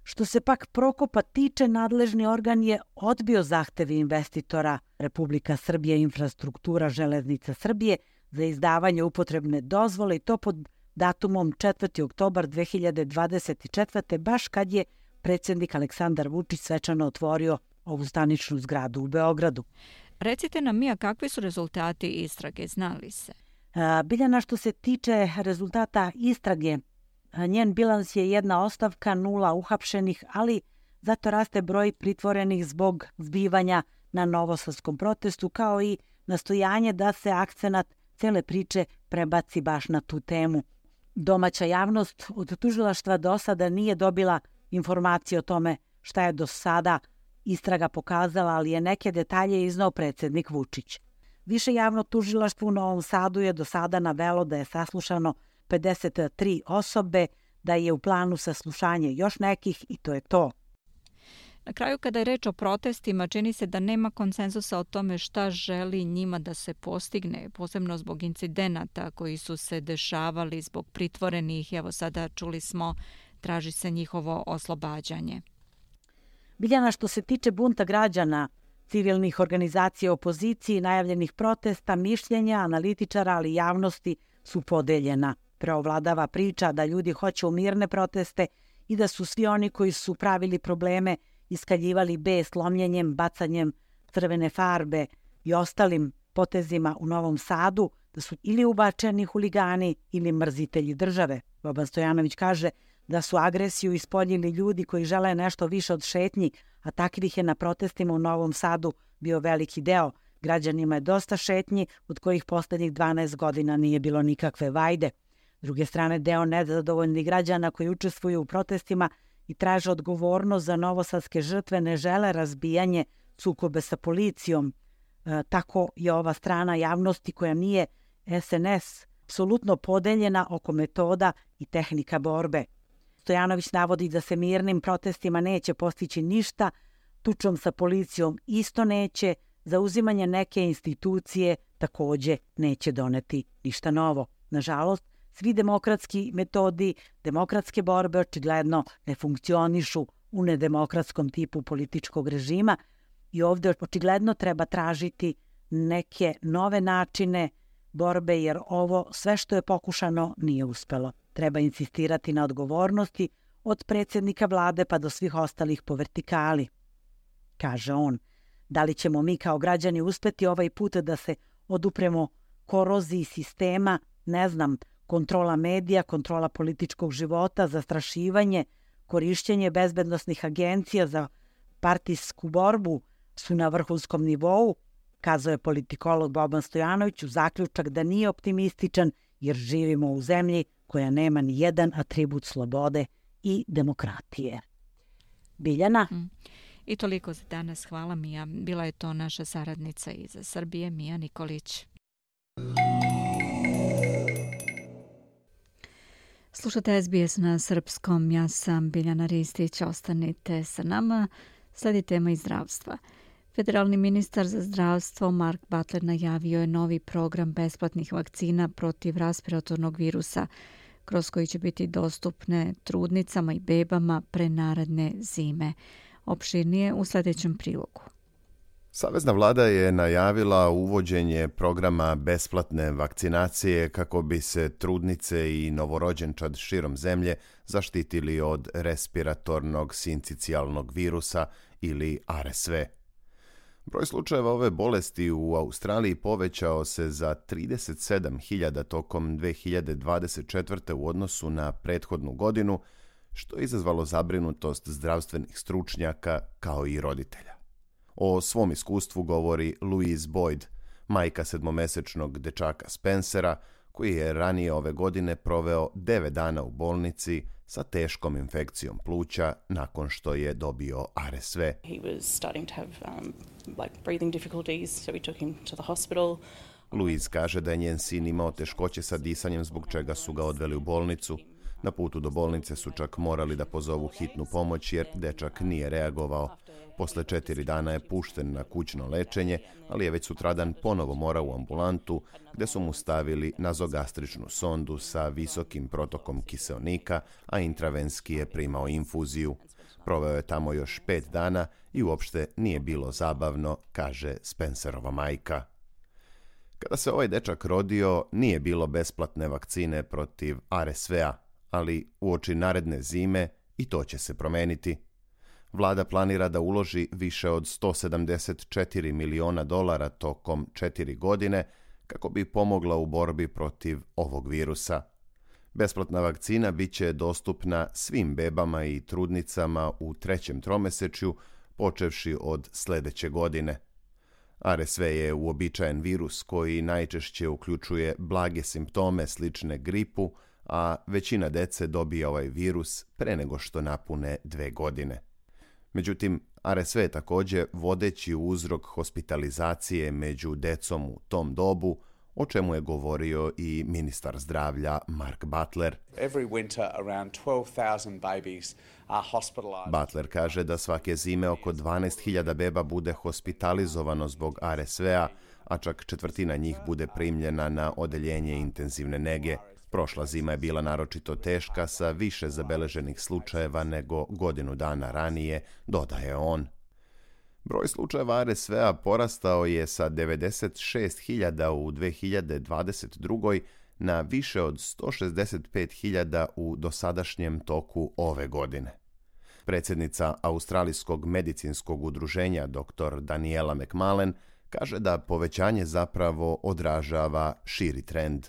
Što se pak Prokopa tiče, nadležni organ je odbio zahtevi investitora Republika Srbija Infrastruktura Železnica Srbije za izdavanje upotrebne dozvole i to pod datumom 4. oktobar 2024. baš kad je predsjednik Aleksandar Vučić svečano otvorio ovu staničnu zgradu u Beogradu. Recite nam, Mija, kakvi su rezultati istrage, znali se? Biljana, što se tiče rezultata istrage, njen bilans je 1 ostavka, 0 uhapšenih, ali zato raste broj pritvorenih zbog zbivanja na novosadskom protestu, kao i nastojanje da se akcenat cele priče prebaci baš na tu temu. Domaća javnost od tužilaštva do sada nije dobila informacije o tome šta je do sada istraga pokazala, ali je neke detalje iznao predsjednik Vučić. Više javno tužilaštvo u Novom Sadu je do sada navelo da je saslušano 53 osobe, da je u planu saslušanje još nekih i to je to. Na kraju, kada je reč o protestima, čini se da nema konsenzusa o tome šta želi njima da se postigne, posebno zbog incidenata koji su se dešavali zbog pritvorenih. Evo sada čuli smo, traži se njihovo oslobađanje. Biljana, što se tiče bunta građana, civilnih organizacija opoziciji, najavljenih protesta, mišljenja, analitičara, ali javnosti su podeljena. Preovladava priča da ljudi hoće mirne proteste i da su svi oni koji su pravili probleme iskaljivali bes lomljenjem, bacanjem crvene farbe i ostalim potezima u Novom Sadu, da su ili ubačeni huligani ili mrzitelji države. Boban Stojanović kaže da su agresiju ispoljili ljudi koji žele nešto više od šetnji, a takvih je na protestima u Novom Sadu bio veliki deo. Građanima je dosta šetnji, od kojih poslednjih 12 godina nije bilo nikakve vajde. S druge strane, deo nezadovoljnih građana koji učestvuju u protestima i traže odgovornost za novosadske žrtve ne žele razbijanje sukobe sa policijom. Tako je ova strana javnosti koja nije SNS apsolutno podeljena oko metoda i tehnika borbe. Stojanović navodi da se mirnim protestima neće postići ništa, tučom sa policijom isto neće, zauzimanje neke institucije takođe neće doneti ništa novo. Nažalost, svi demokratski metodi, demokratske borbe očigledno ne funkcionišu u nedemokratskom tipu političkog režima i ovdje očigledno treba tražiti neke nove načine borbe jer ovo sve što je pokušano nije uspelo. Treba insistirati na odgovornosti od predsjednika vlade pa do svih ostalih po vertikali. Kaže on, da li ćemo mi kao građani uspeti ovaj put da se odupremo koroziji sistema, ne znam, kontrola medija, kontrola političkog života, zastrašivanje, korišćenje bezbednosnih agencija za partijsku borbu su na vrhunskom nivou, kazao je politikolog Boban Stojanović u zaključak da nije optimističan jer živimo u zemlji koja nema ni jedan atribut slobode i demokratije. Biljana? I toliko za danas. Hvala, Mija. Bila je to naša saradnica iz Srbije, Mija Nikolić. Slušate SBS na srpskom. Ja sam Biljana Ristić. Ostanite sa nama. Sledi tema iz zdravstva. Federalni ministar za zdravstvo Mark Butler najavio je novi program besplatnih vakcina protiv respiratornog virusa, kroz koji će biti dostupne trudnicama i bebama pre naredne zime. Opširnije u sljedećem prilogu. Savezna vlada je najavila uvođenje programa besplatne vakcinacije kako bi se trudnice i novorođenčad širom zemlje zaštitili od respiratornog sincicijalnog virusa ili RSV. Broj slučajeva ove bolesti u Australiji povećao se za 37.000 tokom 2024. u odnosu na prethodnu godinu, što je izazvalo zabrinutost zdravstvenih stručnjaka kao i roditelja. O svom iskustvu govori Louise Boyd, majka 7-mesečnog dečaka Spencera, koji je ranije ove godine proveo 9 dana u bolnici sa teškom infekcijom pluća nakon što je dobio RSV. Louise kaže da je njen sin imao teškoće sa disanjem, zbog čega su ga odveli u bolnicu. Na putu do bolnice su čak morali da pozovu hitnu pomoć jer dečak nije reagovao. Posle 4 dana je pušten na kućno lečenje, ali je već sutradan ponovo morao u ambulantu gde su mu stavili nazogastričnu sondu sa visokim protokom kiseonika, a intravenski je primao infuziju. Proveo je tamo još 5 dana i uopšte nije bilo zabavno, kaže Spencerova majka. Kada se ovaj dečak rodio, nije bilo besplatne vakcine protiv RSV-a, ali uoči naredne zime i to će se promeniti. Vlada planira da uloži više od $174 miliona tokom 4 godine kako bi pomogla u borbi protiv ovog virusa. Besplatna vakcina bit će dostupna svim bebama i trudnicama u 3. tromesečju, počevši od sledeće godine. RSV je uobičajen virus koji najčešće uključuje blage simptome slične gripu, a većina dece dobije ovaj virus pre nego što napune 2 godine. Međutim, RSV je također vodeći uzrok hospitalizacije među decom u tom dobu, o čemu je govorio i ministar zdravlja Mark Butler. Butler kaže da svake zime oko 12.000 beba bude hospitalizovano zbog RSV-a, a čak 1/4 njih bude primljena na odeljenje intenzivne nege. Prošla zima je bila naročito teška sa više zabeleženih slučajeva nego godinu dana ranije, dodaje on. Broj slučajeva RSV-a porastao je sa 96.000 u 2022. na više od 165.000 u dosadašnjem toku ove godine. Predsjednica Australijskog medicinskog udruženja dr. Daniela McMullen kaže da povećanje zapravo odražava širi trend.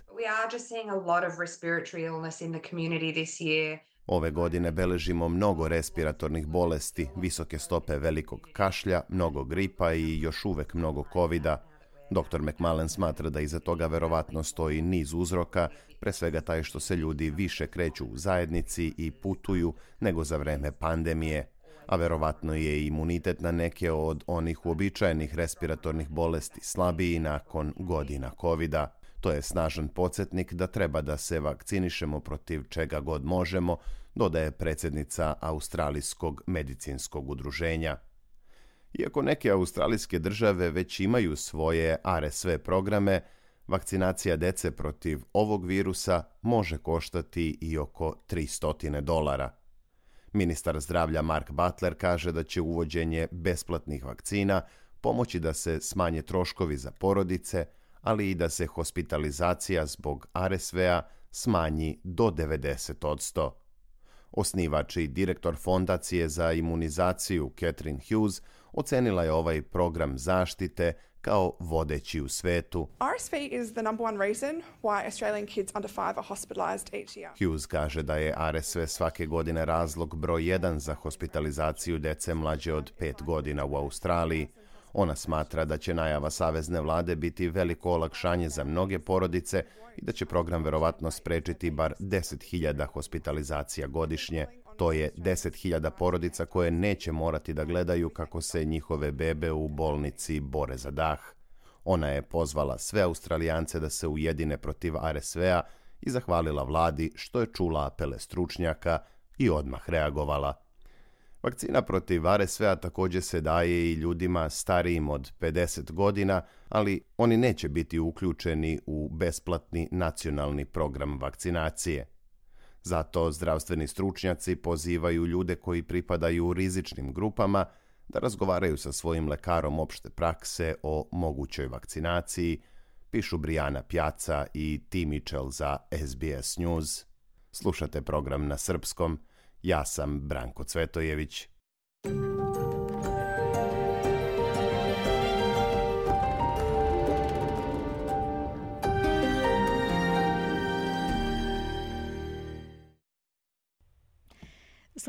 Ove godine beležimo mnogo respiratornih bolesti, visoke stope velikog kašlja, mnogo gripa i još uvek mnogo covida. Dr. McMullen smatra da iza toga verovatno stoji niz uzroka, pre svega taj što se ljudi više kreću u zajednici i putuju nego za vreme pandemije, a verovatno je imunitet na neke od onih uobičajenih respiratornih bolesti slabiji nakon godina covida. To je snažan podsjetnik da treba da se vakcinišemo protiv čega god možemo, dodaje predsjednica Australijskog medicinskog udruženja. Iako neke australijske države već imaju svoje RSV programe, vakcinacija dece protiv ovog virusa može koštati i oko $300. Ministar zdravlja Mark Butler kaže da će uvođenje besplatnih vakcina pomoći da se smanje troškovi za porodice, ali i da se hospitalizacija zbog RSV-a smanji do 90%. Osnivač i direktor fondacije za imunizaciju Catherine Hughes ocenila je ovaj program zaštite kao vodeći u svetu. RSV is the number one reason why Australian kids under 5 are hospitalized each year. Hughes kaže da je RSV svake godine razlog broj 1 za hospitalizaciju dece mlađe od 5 godina u Australiji. Ona smatra da će najava savezne vlade biti veliko olakšanje za mnoge porodice i da će program verovatno sprečiti bar 10.000 hospitalizacija godišnje. To je 10.000 porodica koje neće morati da gledaju kako se njihove bebe u bolnici bore za dah. Ona je pozvala sve Australijance da se ujedine protiv RSV-a i zahvalila vladi što je čula apele stručnjaka i odmah reagovala. Vakcina protiv RSV-a također se daje i ljudima starijim od 50 godina, ali oni neće biti uključeni u besplatni nacionalni program vakcinacije. Zato zdravstveni stručnjaci pozivaju ljude koji pripadaju rizičnim grupama da razgovaraju sa svojim lekarom opšte prakse o mogućoj vakcinaciji, pišu Brijana Pjaca i T. Mitchell za SBS News. Slušate program na srpskom. Ja sam Branko Cvetojević.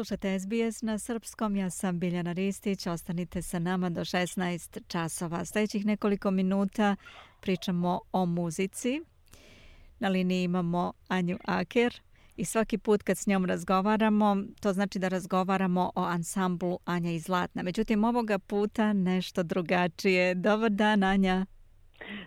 Slušajte SBS na srpskom, ja sam Biljana Ristić, ostanite sa nama do 16 časova. Sljedećih nekoliko minuta pričamo o muzici. Na liniji imamo Anju Aker i svaki put kad s njom razgovaramo, to znači da razgovaramo o ansamblu Anja i Zlatna. Međutim, ovoga puta nešto drugačije. Dobar dan, Anja.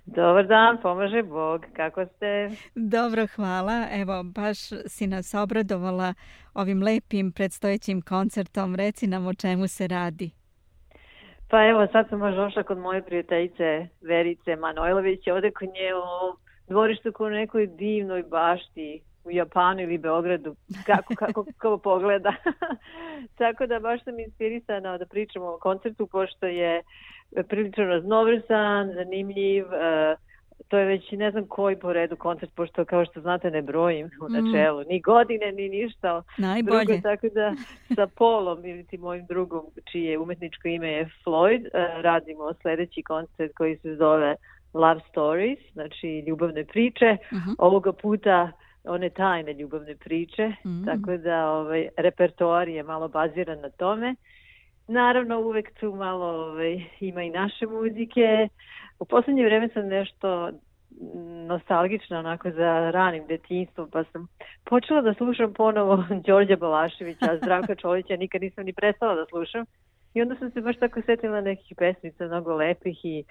Dobar dan, pomaže Bog. Kako ste? Dobro, hvala. Evo, baš si nas obradovala ovim lepim predstojećim koncertom. Reci nam o čemu se radi. Pa evo, sad sam baš došla kod moje prijateljice Verice Manojlović, ovdje kod nje u dvorištu kod nekoj divnoj bašti u Japanu ili Beogradu, kako pogleda. Tako da baš sam inspirisana da pričamo o koncertu, pošto je prilično raznovrstan, zanimljiv. To je već ne znam koji po redu koncert, pošto kao što znate ne brojim u načelu, ni godine, ni ništa. Najbolje. Drugo, tako da sa Polom ili ti mojim drugom, čije umetničko ime je Floyd, radimo sljedeći koncert koji se zove Love Stories, znači ljubavne priče. Ovoga puta one tajne ljubavne priče, tako da repertoar je malo baziran na tome. Naravno, uvek tu malo ima i naše muzike. U posljednje vrijeme sam nešto nostalgična onako za ranim detinjstvom, pa sam počela da slušam ponovo Đorđa Balaševića, Zdravka Čolića, nikad nisam ni prestala da slušam. I onda sam se baš tako sjetila nekih pesmica, mnogo lepih, i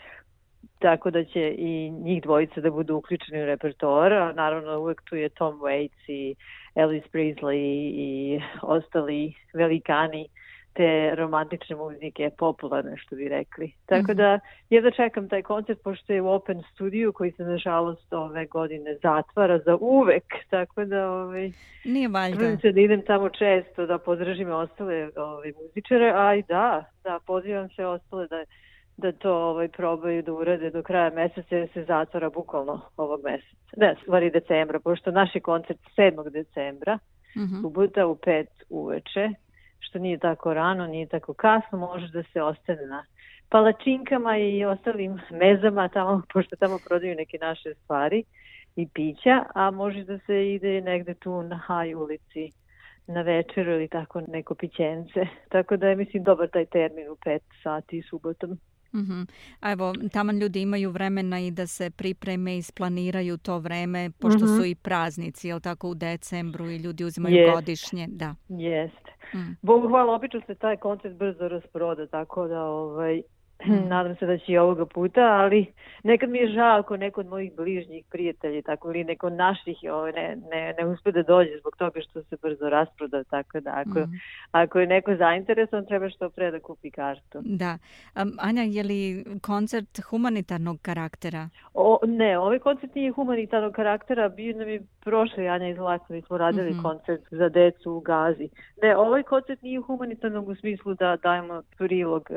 tako da će i njih dvojica da budu uključeni u repertoar. A naravno uvek tu je Tom Waits i Elvis Presley i ostali velikani te romantične muzike, popularne što bi rekli. Tako da jedva čekam taj koncert, pošto je u Open studiju koji se nažalost ove godine zatvara za uvek. Tako da nije valjda. Da idem tamo često da pozdržim ostale muzičare, a i da pozivam se ostale da to probaju da urade do kraja mjeseca, jer se zatvara bukvalno ovog mjeseca. Ne, stvari decembra, pošto naš je koncert 7. decembra, subota u 5 uveče, što nije tako rano, nije tako kasno, može da se ostane na palačinkama i ostalim mezama tamo, pošto tamo prodaju neke naše stvari i pića, a može da se ide negde tu na Haj ulici na večeru ili tako neko pićence. Tako da je, mislim, dobar taj termin u 5 sati subotom. A evo, taman ljudi imaju vremena i da se pripreme i isplaniraju to vreme, pošto su i praznici, jel tako, u decembru i ljudi uzimaju godišnje. Da. Jeste. Bogu hvala, obično se taj koncert brzo rasproda, tako da nadam se da će i ovoga puta, ali nekad mi je žao ako neko od mojih bližnjih prijatelji, tako ili neko od naših ne uspe da dođe zbog toga što se brzo rasproda, tako da ako je neko zainteresovan, treba što pre da kupi kartu. Da. Anja, je li koncert humanitarnog karaktera? Ne, ovaj koncert nije humanitarnog karaktera, bio nam je prošli Anja i Zlatna, mi smo radili koncert za decu u Gazi. Ne, ovaj koncert nije humanitarnog u smislu da dajemo prilog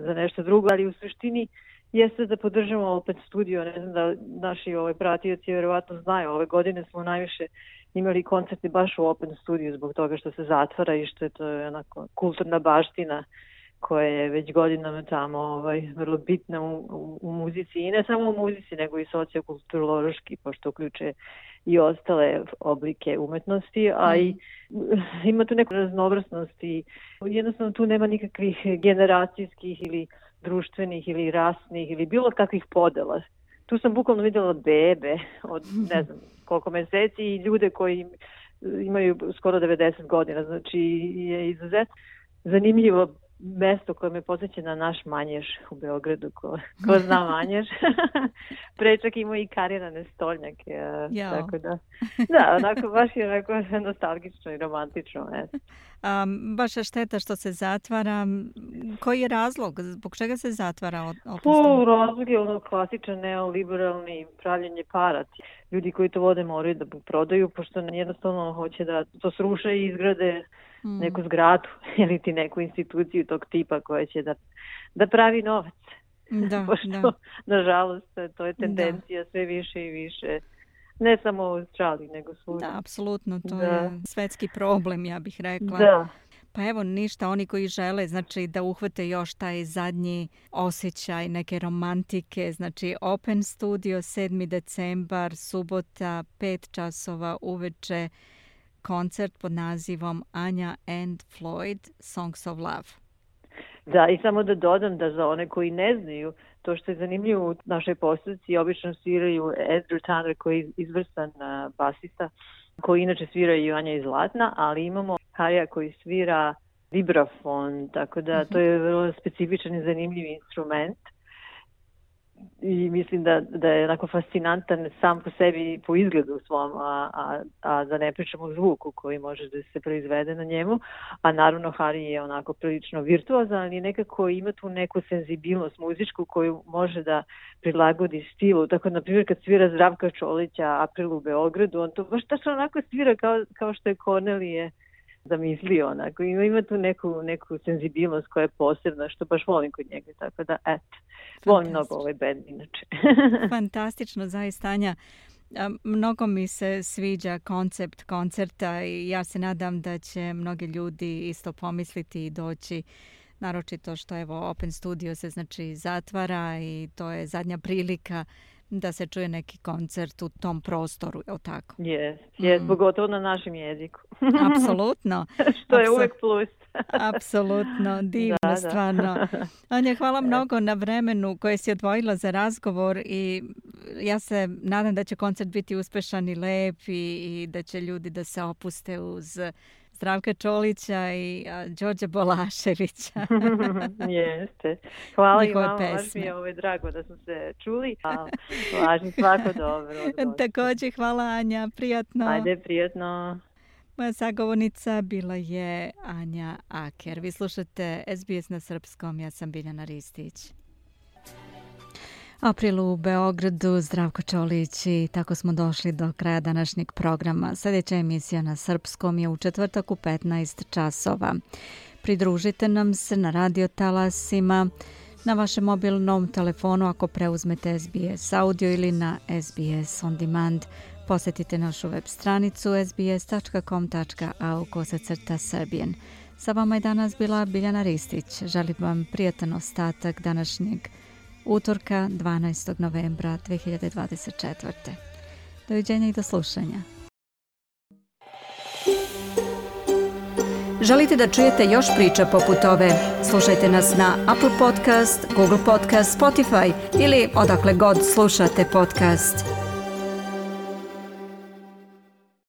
za nešto drugo, ali u suštini jeste da podržamo opet studio. Ne znam da naši pratioci vjerovatno znaju. Ove godine smo najviše imali koncerti baš u Open studiju zbog toga što se zatvara i što je to onako kulturna baština koja je već godinama tamo vrlo bitna u muzici. I ne samo u muzici, nego i sociokulturološki, pošto uključuje i ostale oblike umetnosti, a i ima tu neku raznovrsnost i jednostavno tu nema nikakvih generacijskih ili društvenih ili rasnih ili bilo kakvih podela. Tu sam bukvalno vidjela bebe od ne znam koliko mjeseci i ljude koji imaju skoro 90 godina. Znači je izuzetno zanimljivo mesto koje me podsjeća na naš Manjež u Beogradu, ko zna Manjež. Prečak ima i karirane stolnjake. Tako da, onako, baš je onako nostalgično i romantično. Baš je šteta što se zatvara. Koji je razlog? Zbog čega se zatvara? Razlog je klasičan neoliberalni pravljenje para. Ljudi koji to vode moraju da prodaju, pošto jednostavno hoće da to sruše i izgrade neku zgradu ili ti neku instituciju tog tipa koja će da pravi novac. Pošto, nažalost, to je tendencija sve više i više. Ne samo u Australiji, nego svugdje. Da, apsolutno. To je svetski problem, ja bih rekla. Da. Pa evo ništa, oni koji žele znači da uhvate još taj zadnji osjećaj neke romantike, znači Open Studio 7. decembar, subota, 5 časova uveče. koncert pod nazivom Anja and Floyd Songs of Love. Da, i samo da dodam da za one koji ne znaju, to što je zanimljivo u našoj postavci, obično sviraju Andrew Tanner koji je izvrstan basista, koji inače svira i Anja iz Zlatna, ali imamo Harija koji svira vibrafon, tako da to je vrlo specifičan i zanimljiv instrument. I mislim da je onako fascinantan sam po sebi, po izgledu svom, a da ne pričamo o zvuku koji može da se proizvede na njemu. A naravno Hari je onako prilično virtuozan, ali nekako ima tu neku senzibilnost muzičku koju može da prilagodi stilu. Tako, na primjer, kad svira Zdravka Čolića April u Beogradu, on to baš tačno onako svira kao što je Cornelije zamislio, onako. Ima tu neku senzibilnost koja je posebna, što baš volim kod njega, tako da, eto. Volim mnogo ovaj band, inače. Fantastično, zaista, Anja. Mnogo mi se sviđa koncept koncerta i ja se nadam da će mnogi ljudi isto pomisliti i doći, naročito što evo Open Studio se znači zatvara i to je zadnja prilika da se čuje neki koncert u tom prostoru, je li tako? Jes, pogotovo na našem jeziku. Apsolutno. Što je uvek plus. Apsolutno, divno, stvarno. Anja, hvala mnogo na vremenu koje si odvojila za razgovor i ja se nadam da će koncert biti uspešan i lep i da će ljudi da se opuste uz Zdravka Čolića i Đorđa Bolaševića. Jeste. Hvala i vama, baš mi je drago da smo se čuli. Važno, svako dobro. Također, hvala Anja, prijatno. Ajde, prijatno. Moja sagovornica bila je Anja Aker. Vi slušate SBS na srpskom, ja sam Biljana Ristić. April u Beogradu, Zdravko Čolić i tako smo došli do kraja današnjeg programa. Sljedeća emisija na srpskom je u četvrtak u 15 časova. Pridružite nam se na radio talasima, na vašem mobilnom telefonu ako preuzmete SBS audio ili na SBS On Demand. Posjetite našu web stranicu sbs.com.au/Serbian. Sa vama je danas bila Biljana Ristić. Želim vam prijatan ostatak današnjeg utorka 12. novembra 2024. Doviđenja i do slušanja. Želite da čujete još priča poput ove? Slušajte nas na Apple Podcast, Google Podcast, Spotify ili odakle god slušate podcast.